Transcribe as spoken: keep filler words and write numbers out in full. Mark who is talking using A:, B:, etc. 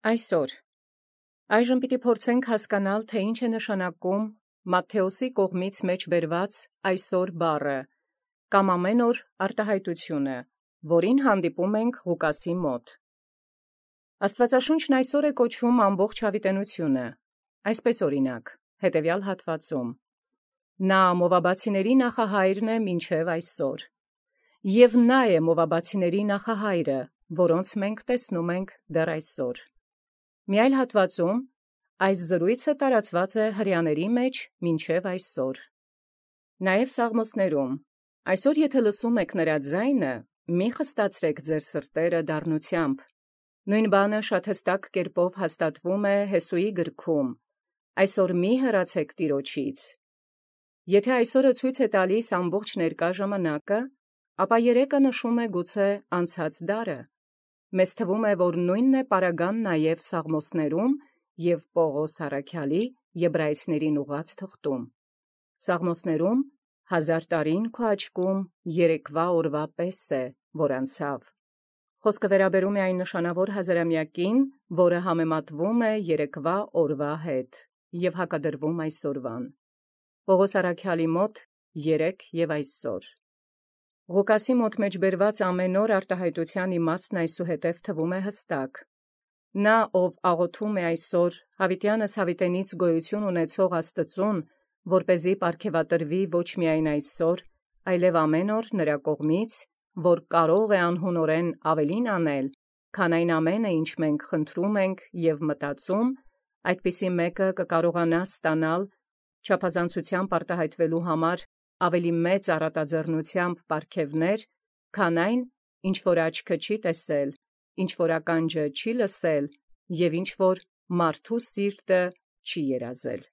A: Այսօր այժմ պիտի փորձենք հասկանալ, թե ինչ է նշանակում Մատթեոսի կողմից մեջ բերված այսօր բառը, կամ ամեն օր արտահայտությունը, որին հանդիպում ենք Ղուկասի մոտ։ Աստվածաշունչն այսօր է կոչվում ամբողջ հավիտենությունը, այսպես օրինակ, հետևյալ հատվածում. Նա մովաբացիների նախահայրն է մինչև այսօր, և նա է մովաբացիների նախահայրը, որոնց մենք տեսնում ենք դեռ այսօր։ Մի այլ հատվածում այս զրույցը տարածված է հրեաների մեջ մինչև այսօր։ Նաև Սաղմոսներում. այսօր եթե լսում եք նրա ձայնը, մի խստացրեք ձեր սրտերը դառնությամբ։ Նույն բանը շատ հստակ կերպով հաստատվում է Հեսուի գրքում. այսօր մի հեռացեք Տիրոջից։ Եթե այսօրը ցույց է տալիս ամբողջ ներկա ժամանակը, ապա երեկը նշում է գուցե անցած դարը։ Մեզ թվում է, որ նույնն է պարագան նաև Սաղմոսներում և Պողոս առաքյալի Եբրայեցիներին ուղղած թղթում։ Սաղմոսներում հազար տարին քո աչքում երեկվա օրվա պես է, որ անցավ։ Խոսքը վերաբերում է այն նշանավոր հազարամյակին, որը համեմատվում է երեկվա օրվա հետ և հակադրվում այսօրվան։ Պողոս առաքյալի մոտ երեկ և այսօր։ Ղուկասի մոտ մեջ բերված ամեն օր արտահայտության իմաստն այսուհետև թվում է հստակ։ Նա, ով աղոթում է այսօր հավիտյանս հավիտենից գոյություն ունեցող Աստծուն, որպեսզի պարգևատրվի ոչ միայն այսօր, այլև ամեն օր նրա կողմից, որ կարող է անհունորեն ավելին անել, քան այն ամենը, ինչ մենք խնդրում ենք և մտածում, այդպիսի մեկը կկարողանա ստանալ չափազանցությամբ արտահայտվելու համար ավելի մեծ առատաձեռնությամբ պարգևներ, քան այն, ինչ որ աչքը չի տեսել, ինչ որ ականջը չի լսել և ինչ որ մարդու սիրտը չի երազել։